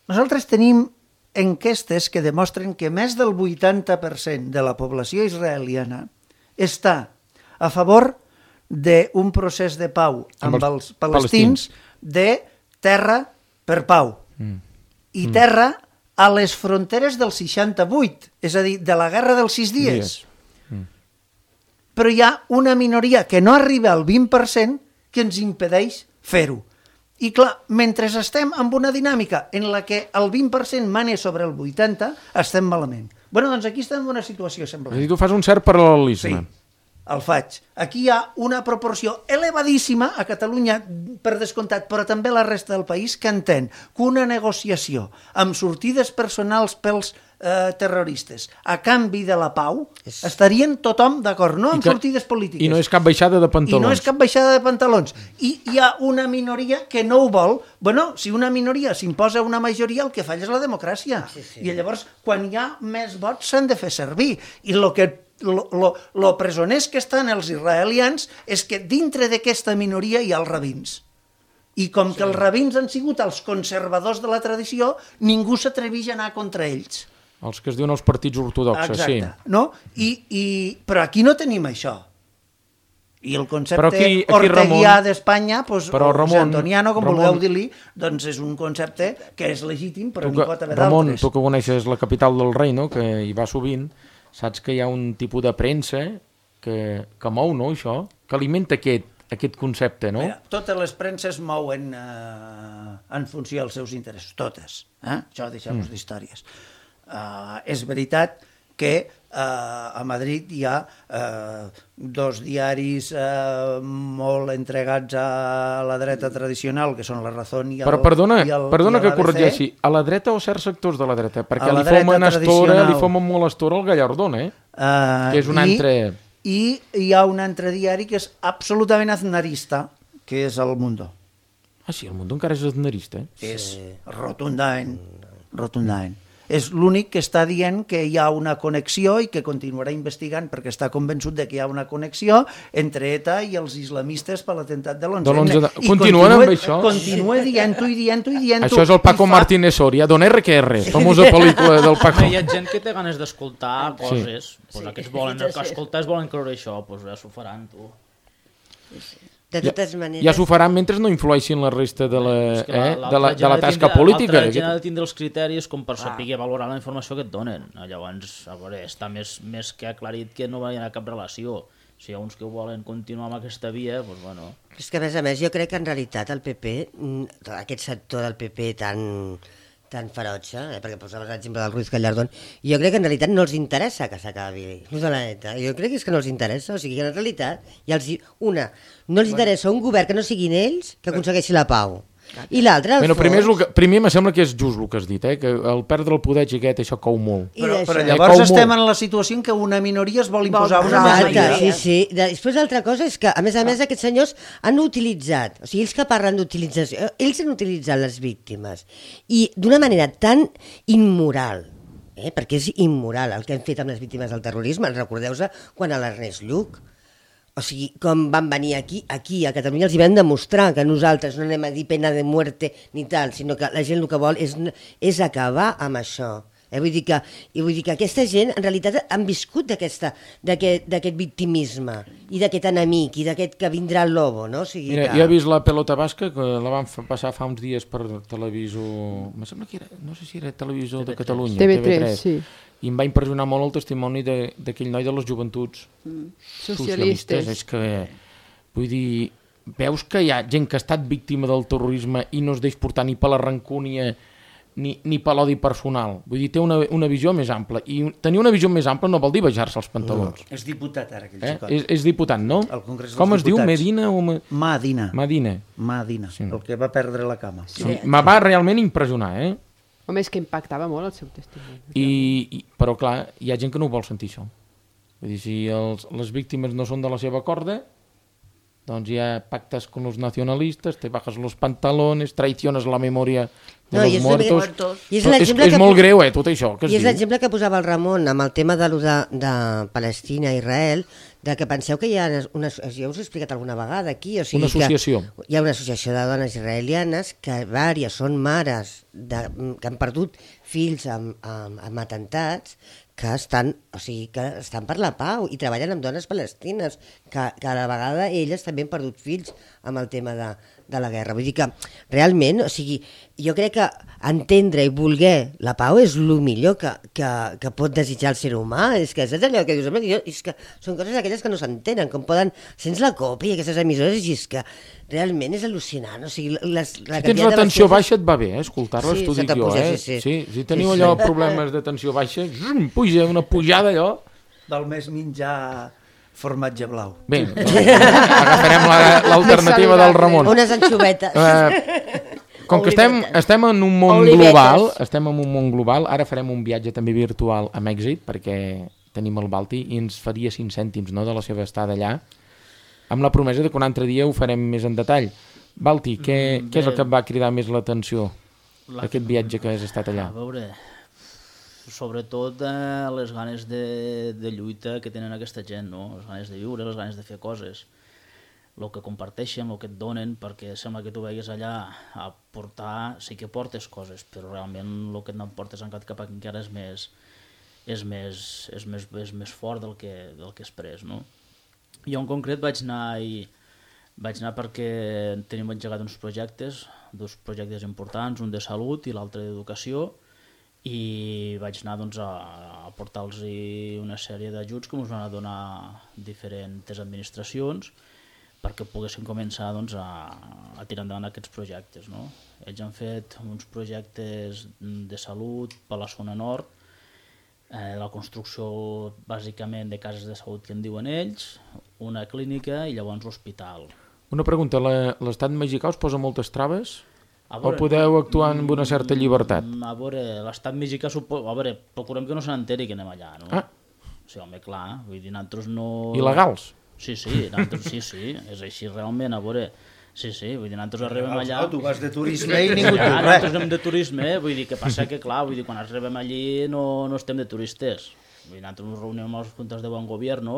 nosaltres tenim enquestes que demostren que més del 80% de la població israeliana està a favor d'un procés de pau amb els palestins de terra per pau. I terra a les fronteres del 68, és a dir, de la guerra dels 6 dies. Però hi ha una minoria que no arriba al 20% que ens impedeix fer-ho. I clar, mentre estem amb una dinàmica en la que el 20% mana sobre el 80%, estem malament. Bé, doncs aquí estem en una situació semblant. És a dir, tu fas un cert paral·lelisme. Sí, el faig. Aquí hi ha una proporció elevadíssima a Catalunya, per descomptat, però també a la resta del país, que entén que una negociació amb sortides personals pels terroristes a canvi de la pau, estarien tothom d'acord, no amb sortides polítiques. I no és cap baixada de pantalons. I no és cap baixada de pantalons. I hi ha una minoria que no ho vol. Bueno, si una minoria s'imposa una majoria, el que falla és la democràcia. I llavors, quan hi ha més vots, s'han de fer servir. I lo presoners que estan els israelians és que dintre d'aquesta minoria hi ha els rabins. I com que els rabins han sigut els conservadors de la tradició, ningú s'atreveix a anar contra ells. Els que es diuen els partits ortodoxes, sí. Exacte, no? Però aquí no tenim això. I el concepte orteguià d'Espanya, o antoniano, com vulgueu dir-li, doncs és un concepte que és legítim, però n'hi pot haver d'altres. Ramon, tu que coneixes la capital del reino, que hi va sovint, saps que hi ha un tipus de premsa que mou, no, això? Que alimenta aquest concepte, no? Totes les premses mouen en funció dels seus interessos, totes. Això deixem-nos d'històries. És veritat que a Madrid hi ha dos diaris molt entregats a la dreta tradicional, que són La Razón i el Però perdona que corregeixi, a la dreta o certs sectors de la dreta? Perquè li fomen molt estora al Gallardón, que és un altre... I hi ha un altre diari que és absolutament aznarista, que és El Mundo. Ah, sí, El Mundo encara és aznarista? És rotundament. És l'únic que està dient que hi ha una connexió i que continuarà investigant perquè està convençut de que hi ha una connexió entre ETA i els islamistes per l'atemptat de l'11. Continuen amb això? Continua dient-ho i dient-ho i dient-ho. Això és el Paco Martínez Soria, Don RQR, famosa pel·lícula del Paco. Hi ha gent que té ganes d'escoltar coses, aquests volen escoltar, volen creure això, doncs ja s'ho faran, tu. De totes maneres... Ja s'ho faran mentre no influeixin la resta de la tasca política. L'altra gent ha de tindre els criteris com per saber valorar la informació que et donen. Llavors, a veure, està més que aclarit que no hi ha cap relació. Si hi ha uns que volen continuar amb aquesta via, doncs bueno... És que a més jo crec que en realitat el PP, aquest sector del PP tan ferotge, perquè posaves l'exemple del Ruiz Gallardón, jo crec que en realitat no els interessa que s'acabi l'ús de la neta. Jo crec que és que no els interessa, o sigui que en realitat no els interessa un govern que no siguin ells que aconsegueixi la pau. I l'altre, primer me sembla que és just el que has dit, que el perdre el poder xiquet això cou molt. Però llavors estem en la situació en què una minoria es vol imposar una majoria. Sí. Després l'altra cosa és que, a més aquests senyors han utilitzat, o sigui, ells que parlen d'utilització, ells han utilitzat les víctimes i d'una manera tan immoral, perquè és immoral el que han fet amb les víctimes del terrorisme. Recordeu-vos quan a l'Ernest Lluch, o sigui, com van venir aquí a Catalunya, els hi vam demostrar que nosaltres no anem a dir pena de muerte ni tal, sinó que la gent el que vol és acabar amb això. Vull dir que aquesta gent en realitat han viscut d'aquest victimisme i d'aquest enemic i d'aquest que vindrà el lobo, no? O sigui, mira, jo he vist la pelota basca, que la van passar fa uns dies per televisor, me sembla que era, no sé si era televisor de Catalunya, TV3, sí. I em va impressionar molt el testimoni d'aquell noi de les joventuts socialistes. És que, vull dir, veus que hi ha gent que ha estat víctima del terrorisme i no es deix portar ni per la rancúnia ni per l'odi personal. Vull dir, té una visió més ampla. I tenir una visió més ampla no vol dir baixar-se els pantalons. És diputat ara, aquell xicot. És diputat, no? Com es diu? Medina o... Madina, el que va perdre la cama. Me va realment impressionar, Home, és que impactava molt el seu testimoni. Però clar, hi ha gent que no vol sentir això. Vull dir, si les víctimes no són de la seva corda, doncs hi ha pactes con los nacionalistes, te bajas los pantalones, traiciones la memòria de los muertos. És molt greu, tot això. I és l'exemple que posava el Ramon amb el tema de Palestina i Israel, de que penseu que hi ha ja us he explicat alguna vegada aquí, o sigui, una associació. Hi ha una associació de dones israelianes que vàries són mares que han perdut fills amb atemptats, que estan per la pau i treballen amb dones palestines, que a la vegada elles també han perdut fills amb el tema de la guerra. Vull dir que realment, o sigui, jo crec que entendre i voler la pau és el millor que pot desitjar el ser humà. És que és allò que dius, és que són coses aquelles que no s'entenen, com poden... Sents la copa i aquestes emissores, i és que realment és al·lucinant. O sigui, si tens la tensió baixa et va bé, escoltar-les, t'ho dic jo. Si teniu allò problemes de tensió baixa, puja una pujada allò. Val més menjar formatge blau. Bé, agafarem l'alternativa del Ramon. Unes anxovetes. Com que estem en un món global, ara farem un viatge també virtual a Mèxic, perquè tenim el Balti, i ens faria 5 cèntims, no?, de la seva estada allà, amb la promesa de que un altre dia ho farem més en detall. Balti, què és el que et va cridar més l'atenció, aquest viatge que has estat allà? A veure, sobretot les ganes de lluita que tenen aquesta gent, no? Les ganes de viure, les ganes de fer coses, el que comparteixen, el que et donen, perquè sembla que tu vegues allà a portar, sí que portes coses, però realment el que et portes cap aquí encara és més fort del que has pres, no? Jo en concret vaig anar perquè tenim engegat uns projectes, 2 projectes importants, un de salut i l'altre d'educació, i vaig anar a portar-los una sèrie d'ajuts que ens van donar diferents administracions perquè poguessin començar a tirar endavant aquests projectes, no? Ells han fet uns projectes de salut per la zona nord, la construcció bàsicament de cases de salut que en diuen ells, una clínica i llavors l'hospital. Una pregunta, l'estat mexicà us posa moltes traves? O podeu actuar amb una certa llibertat? A veure, l'estat mexicà, procurem que no se n'enteri que anem allà, no? Sí, home, clar, vull dir, nosaltres no... Il·legals? Sí, sí, és així realment, a veure... Sí, vull dir, nosaltres arribem allà... Tu vas de turisme i ningú diu res. Nosaltres anem de turisme, vull dir, que passa que, clar, vull dir, quan arribem allí no estem de turistes. Vull dir, nosaltres ens reunim amb les juntes de bon govern,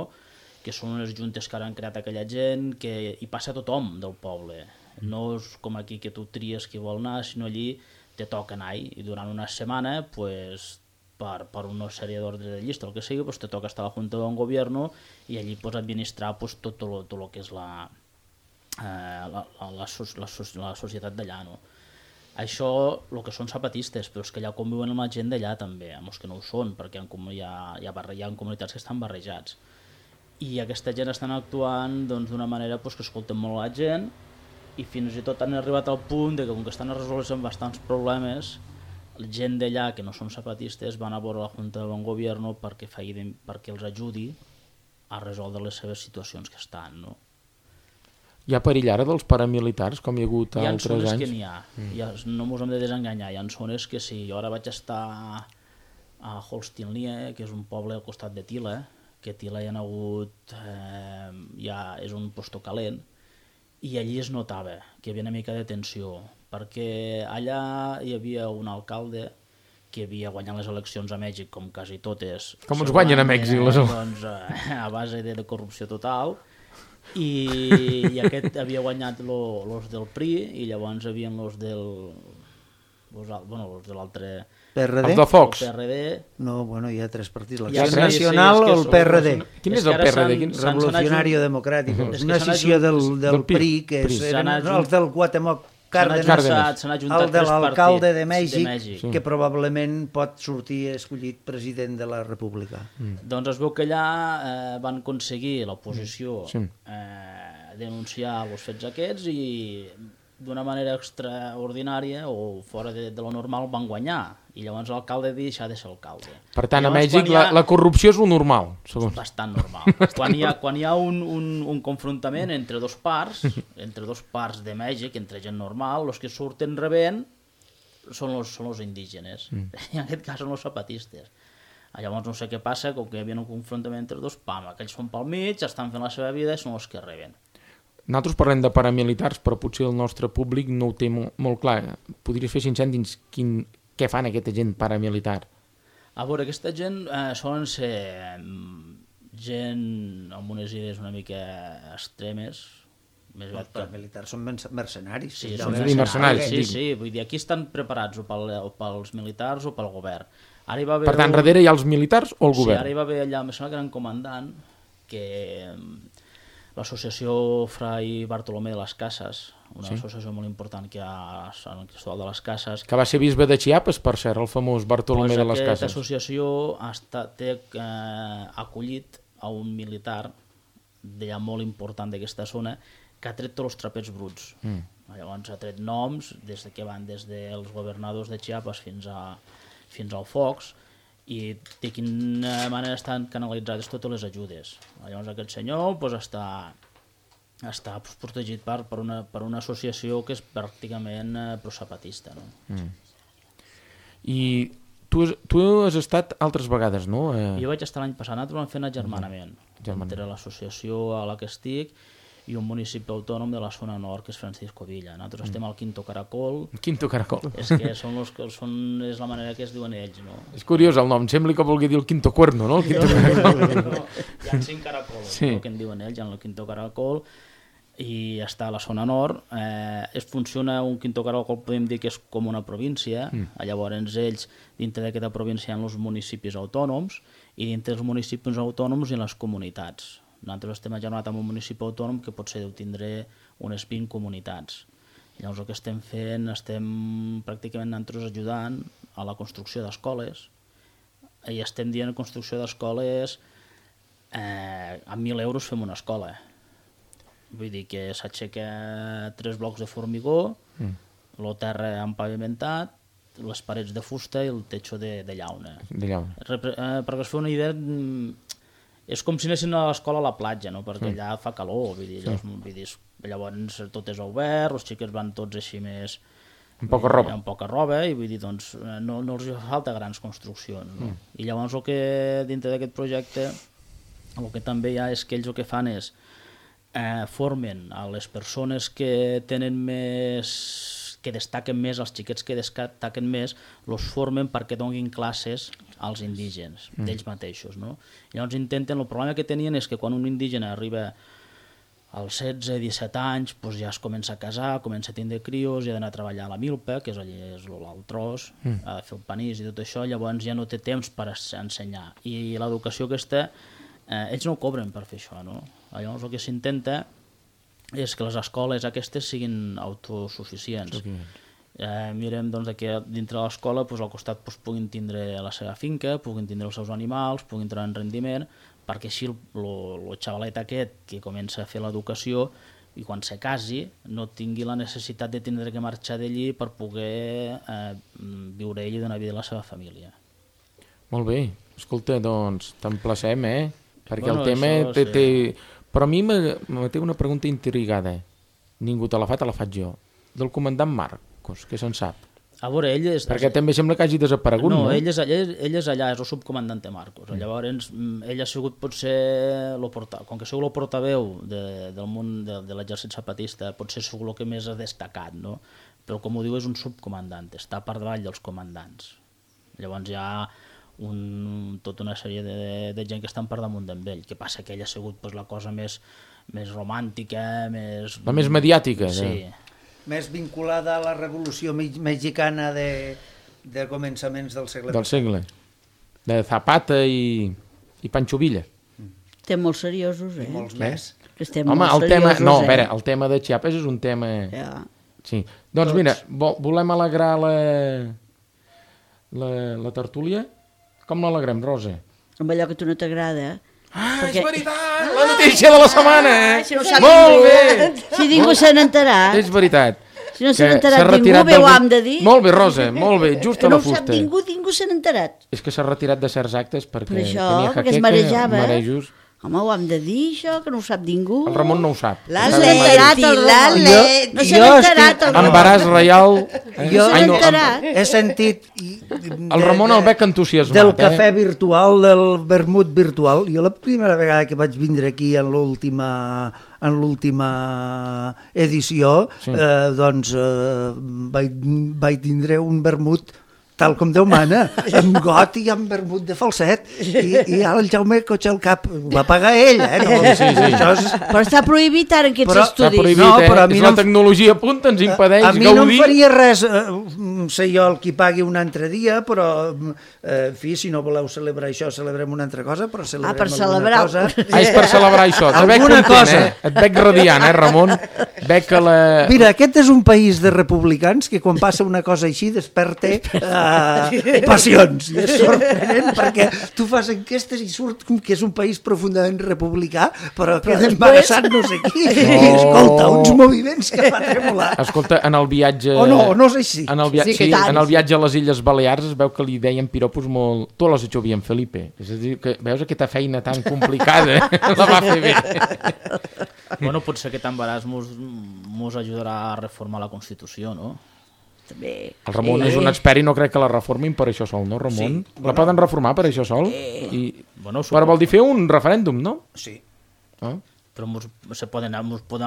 que són unes juntes que ara han creat aquella gent, que hi passa tothom del poble. No és com aquí que tu tries qui vol anar, sinó allí te toca anar-hi, i durant una setmana, pues, per una sèrie d'ordres de llista, el que sigui, pues, te toca estar a la junta de bon govern i allí pues, administrar pues, tot el que és la societat d'allà, no? Això, el que són zapatistes, però és que allà conviuen amb la gent d'allà també, amb els que no ho són, perquè hi ha comunitats que estan barrejats. I aquesta gent estan actuant d'una manera que escolten molt la gent i fins i tot han arribat al punt que com que estan resolent bastants problemes, la gent d'allà que no són zapatistes van a veure la Junta de Bon Govern perquè els ajudi a resoldre les seves situacions que estan, no? Hi ha perill ara dels paramilitars, com hi ha hagut altres anys? Hi ha zones que n'hi ha, no ens hem de desenganyar, hi ha zones que sí. Jo ara vaig estar a Holstinlie, que és un poble al costat de Tila, que a Tila hi ha hagut, és un posto calent, i allí es notava que hi havia una mica de tensió, perquè allà hi havia un alcalde que havia guanyat les eleccions a Mèxic, com quasi totes. Com ens guanyen a Mèxic les eleccions? A base de corrupció total. I aquest havia guanyat los del PRI i llavors hi havia los de l'altre... PRD? Els de Fox? PRD. No, bueno, hi ha 3 partits. L'Acció Nacional o el PRD? Quin és el PRD? Revolucionario Democrático. Una escissió del PRI, que és el del Cuauhtémoc Cárdenas, el de l'alcalde de Mèxic, que probablement pot sortir escollit president de la República. Doncs es veu que allà van aconseguir l'oposició denunciar els fets aquests i d'una manera extraordinària o fora de lo normal van guanyar i llavors l'alcalde deixa de ser alcalde. Per tant, a Mèxic la corrupció és lo normal, segons. Bastant normal. Quan hi ha un confrontament entre dos parts de Mèxic, entre gent normal, els que surten rebent són els indígenes. I en aquest cas són els zapatistes. Llavors no sé què passa, com que hi havia un confrontament entre dos, aquells són pel mig, estan fent la seva vida i són els que reben. Nosaltres parlem de paramilitars, però potser el nostre públic no ho té molt clar. Podries fer 5 cèntims què fan aquesta gent paramilitar? A veure, aquesta gent solen ser gent amb unes idees una mica extremes. Els paramilitars són mercenaris. Sí, són mercenaris. Sí, vull dir, aquí estan preparats o pels militars o pel govern. Per tant, darrere hi ha els militars o el govern? Sí, ara hi va haver allà, em sembla que era un comandant, que l'associació Fray Bartolomé de les Casas, una associació molt important que hi ha a Sant Cristóbal de les Cases. Que va ser bisbe de Chiapas, per cert, el famós Bartolomé de les Cases. Aquesta associació té acollit a un militar d'allà molt important d'aquesta zona que ha tret tots els trapets bruts. Llavors ha tret noms que van des dels governadors de Chiapas fins al Fox, i de quina manera estan canalitzades totes les ajudes. Llavors aquest senyor està està protegit per una associació que és pràcticament prosapatista. No? I tu has estat altres vegades, no? Jo vaig estar l'any passat, nosaltres vam fer un agermanament entre l'associació a la que estic i un municipi autònom de la zona nord, que és Francisco Villa. Nosaltres estem al Quinto Caracol. Quinto Caracol. És que és la manera que es diuen ells, no? És curiós el nom, sembla que vulgui dir el Quinto Cuerno, no? El Quinto Caracol. No, hi ha 5 caracols, el que en diuen ells, hi ha el Quinto Caracol, i està a la zona nord. Funciona un Quinto Caracol, podem dir que és com una província. Llavors ells, dintre d'aquesta província, hi ha els municipis autònoms, i dintre dels municipis autònoms hi ha les comunitats. Nosaltres estem agermanats amb un municipi autònom que potser deu tindre unes 20 comunitats. Llavors el que estem fent, estem pràcticament nosaltres ajudant a la construcció d'escoles, i estem dient construcció d'escoles, amb 1.000 euros fem una escola. Vull dir que s'aixeca 3 blocs de formigó, el terra empavimentat, les parets de fusta i el techo de llauna. Perquè es fa una idea, és com si anessin a l'escola a la platja, no? Perquè allà fa calor, vull dir, llavors tot és obert, els xiquets van tots així més... Amb poca roba. I vull dir, doncs, no els falta grans construccions. No? I llavors el que dintre d'aquest projecte, el que també hi ha és que ells el que fan és formen a les persones que tenen més, que destaquen més, els xiquets que destaquen més, els formen perquè donin classes als indígenes, d'ells mateixos. No? Llavors intenten, el problema que tenien és que quan un indígena arriba als 16-17 anys, doncs ja es comença a casar, comença a tindre crios, i ha d'anar a treballar a la milpa, que és l'alt tros, ha de fer el panís i tot això, llavors ja no té temps per ensenyar. I l'educació aquesta, ells no cobren per fer això, no? Llavors el que s'intenta és que les escoles aquestes siguin autosuficients. Mirem que dintre de l'escola al costat puguin tindre la seva finca, puguin tindre els seus animals, puguin treure en rendiment, perquè així el xavalet aquest que comença a fer l'educació i quan se casi no tingui la necessitat de tindre que marxar d'allí per poder viure ell i donar vida a la seva família. Molt bé, escolta, doncs t'emplacem, perquè el tema té... Però a mi me té una pregunta intrigada. Ningú te la fa, te la faig jo. Del comandant Marcos, què se'n sap? A veure, ell és... Perquè també sembla que hagi desaparegut, no? No, ell és allà, és el subcomandante Marcos. Llavors, ell ha sigut potser... Com que ha sigut el portaveu del món de l'exèrcit zapatista, potser ha sigut el que més ha destacat, no? Però, com ho diu, és un subcomandant, està per davall dels comandants. Llavors hi ha tota una sèrie de gent que estan per damunt d'ell. Que passa que ell ha sigut la cosa més romàntica, més... La més mediàtica, sí. Més vinculada a la revolució mexicana de començaments del segle. Del segle. De Zapata i Pancho Villa. Estem molt seriosos, I molts més. Home, el tema de Chiapas és un tema... Sí. Doncs mira, volem alegrar la tertúlia? Com l'alegrem, Rosa? Amb allò que a tu no t'agrada. És veritat! La notícia de la setmana! Molt bé! Si ningú se n'ha enterat. És veritat. Si no se n'ha enterat ningú, bé ho hem de dir. Molt bé, Rosa, molt bé, just a la fusta. Que no ho sap ningú se n'ha enterat. És que s'ha retirat de certs actes perquè tenia jaqueca, marejos. Home, ho hem de dir, això, que no ho sap ningú. El Ramon no ho sap. No se n'ha enterat, el Ramon. No se n'ha enterat, el Ramon. Embaràs reial. Jo he sentit... El Ramon el veig entusiasmat. Del cafè virtual, del vermut virtual. Jo la primera vegada que vaig vindre aquí en l'última edició, doncs vaig tindre un vermut tal com Déu mana, amb got i amb vermut de falset, i ara el Jaume cotxa el cap, ho va pagar ell, Però està prohibit ara aquests estudis. Està prohibit, és la tecnologia punta, ens impedeix gaudir. A mi no em faria res, sé jo el qui pagui un altre dia, però, en fi, si no voleu celebrar això, celebrem una altra cosa, però celebrem alguna cosa. És per celebrar això, et veig radiant, Ramon? Mira, aquest és un país de republicans que quan passa una cosa així desperta passions. I és sorprenent perquè tu fas enquestes i surt que és un país profundament republicà, però queda embarassat no sé qui. Escolta, uns moviments que fa tremolar. Escolta, en el viatge... no és així. En el viatge a les Illes Balears es veu que li deien piropos molt... Tu l'has hecho bien, Felipe. És a dir, que veus aquesta feina tan complicada, la va fer bé. Bueno, potser aquest embaràs mos ajudarà a reformar la Constitució, no? També. El Ramon és un expert i no crec que la reformin per això sol, no, Ramon? Sí. La poden reformar per això sol? Però vol dir fer un referèndum, no? Sí. Però mos poden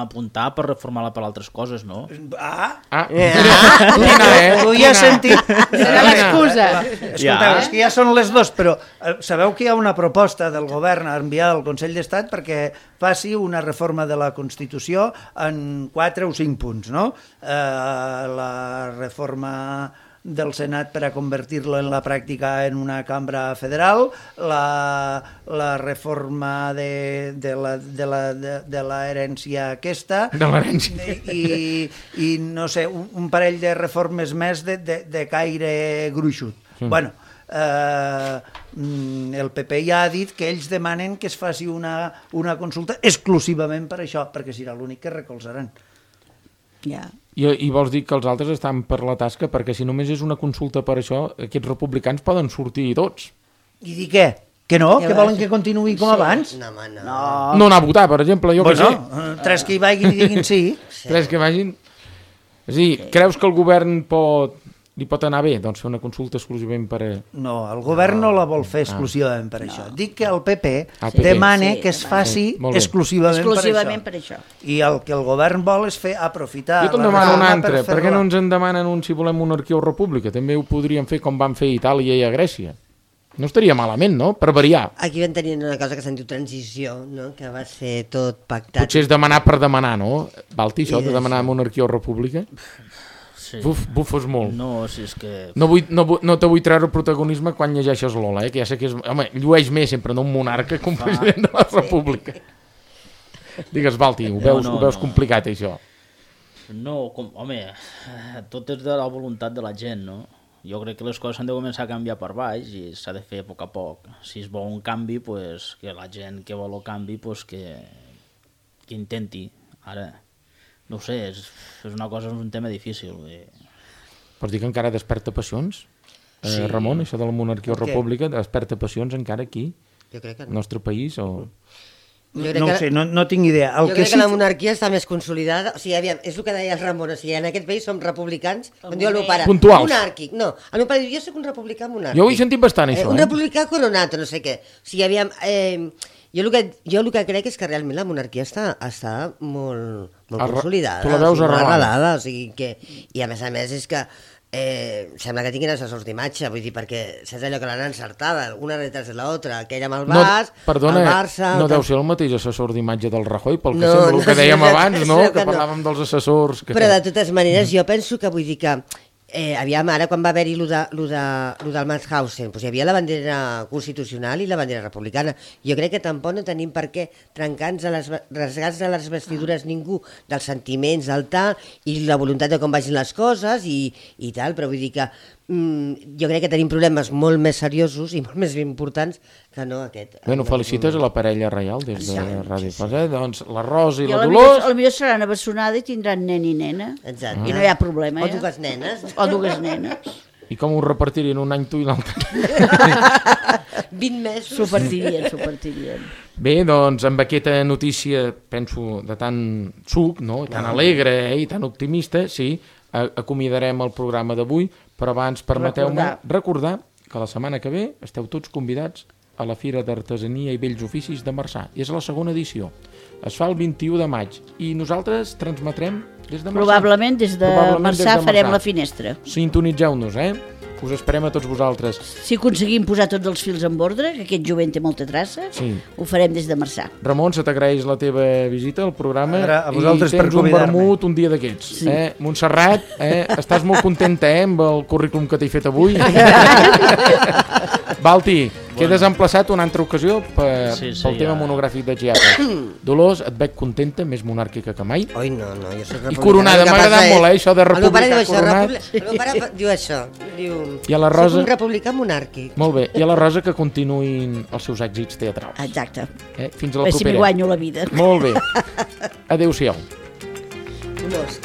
apuntar per reformar-la per altres coses, no? Tu ja has sentit. Serà l'excusa. Escolteu, és que ja són les 2, però sabeu que hi ha una proposta del govern enviada al Consell d'Estat perquè faci una reforma de la Constitució en 4 o 5 punts, no? La reforma del Senat per a convertir-lo en la pràctica en una cambra federal, la reforma de la herència aquesta, i no sé, un parell de reformes més de caire gruixut. Bueno, el PP ja ha dit que ells demanen que es faci una consulta exclusivament per això, perquè serà l'únic que recolzaran. I vols dir que els altres estan per la tasca, perquè si només és una consulta per això, aquests republicans poden sortir tots. I dir què? Que no? Que volen que continuï com abans? No anar a votar, per exemple, jo que sé. Tres que hi vagin i diguin sí. Tres que vagin. És a dir, creus que el govern li pot anar bé? Doncs fer una consulta exclusivament per... No, el govern no la vol fer exclusivament per això. Dic que el PP demana que es faci exclusivament per això. I el que el govern vol és aprofitar... Jo te'n demano un altre. Per què no ens en demanen si volem monarquia o república? També ho podríem fer com van fer a Itàlia i a Grècia. No estaria malament, no? Per variar. Aquí vam tenir una cosa que se'n diu transició, no? Que va ser tot pactat. Potser és demanar per demanar, no? Balti, això de demanar monarquia o república? Sí. Bufes molt. No, si és que... No te vull treure protagonisme quan llegeixes Lola, que ja sé que és... Home, llueix més sempre un monarca que un president de la república. Digues, Balti, ho veus complicat, això? No, home, tot és de la voluntat de la gent, no? Jo crec que les coses s'han de començar a canviar per baix i s'ha de fer a poc a poc. Si es vol un canvi, pues, que la gent que vol el canvi pues, que intenti. Ara... No ho sé, és un tema difícil. Pots dir que encara desperta passions? Sí. Ramon, això de la monarquia o república, desperta passions encara aquí? Jo crec que no. Al nostre país? O... No ho sé, no tinc idea. Jo crec que la monarquia està més consolidada. O sigui, aviam, és el que deia el Ramon, o sigui, en aquest país som republicans, com diu el meu pare, monàrquic. No, el meu pare diu, jo soc un republicà monàrquic. Jo ho he sentit bastant, això. Un republicà coronat, no sé què. O sigui, aviam... Jo el que crec és que realment la monarquia està molt consolidada. Tu la veus arrelada. O sigui que, i a més és que sembla que tinguin assessors d'imatge, vull dir, perquè saps allò que l'han encertada, una retrás de l'altra, aquella amb el Barça, perdona, el Barça... No deu ser el mateix assessor d'imatge del Rajoy, pel que sembla, el que dèiem abans, no? Que parlàvem dels assessors... Però de totes maneres jo penso que, vull dir que aviam, ara quan va haver-hi lo del Mauthausen, doncs hi havia la bandera constitucional i la bandera republicana. Jo crec que tampoc no tenim per què rasgar-nos a les vestidures ningú dels sentiments, del tal, i la voluntat de com vagin les coses i tal, però vull dir que jo crec que tenim problemes molt més seriosos i molt més importants que no aquest. Bueno, felicites a la parella reial des de Ràdio Fasa, doncs la Rosa i la Dolors... Potser seran abassonada i tindran nen i nena. Exacte. I no hi ha problema. O dues nenes. O dues nenes. I com ho repartirien un any tu i l'altre? 20 mesos. S'ho partirien. Bé, doncs amb aquesta notícia, penso, de tant suc, no? Tan alegre i tan optimista, sí, acomiadarem el programa d'avui, però abans permeteu-me recordar que la setmana que ve esteu tots convidats a la Fira d'Artesania i Bells Oficis de Marçà. És la segona edició. Es fa el 21 de maig i nosaltres transmetrem des de Marçà. Probablement des de Marçà farem la finestra. Sintonitzeu-nos, Us esperem a tots vosaltres. Si aconseguim posar tots els fils en ordre, que aquest jovent té molta traça, ho farem des de Marçà. Ramon, se t'agraeix la teva visita al programa a vosaltres i tens un vermut un dia d'aquests. Sí. Montserrat, estàs molt contenta amb el currículum que t'he fet avui? Balti, quedes emplaçat una altra ocasió pel tema monogràfic de Chiapas. Dolors, et veig contenta, més monàrquica que mai. Oi, no, jo soc republicana. I coronada, m'ha agradat molt, això de república coronat. El meu pare diu això, diu... I a la Rosa... Soc un republicà monàrquic. Molt bé, i a la Rosa que continuïn els seus èxits teatrals. Exacte. Fins a la propera. Si m'hi guanyo la vida. Molt bé. Adéu-siau. Dolors.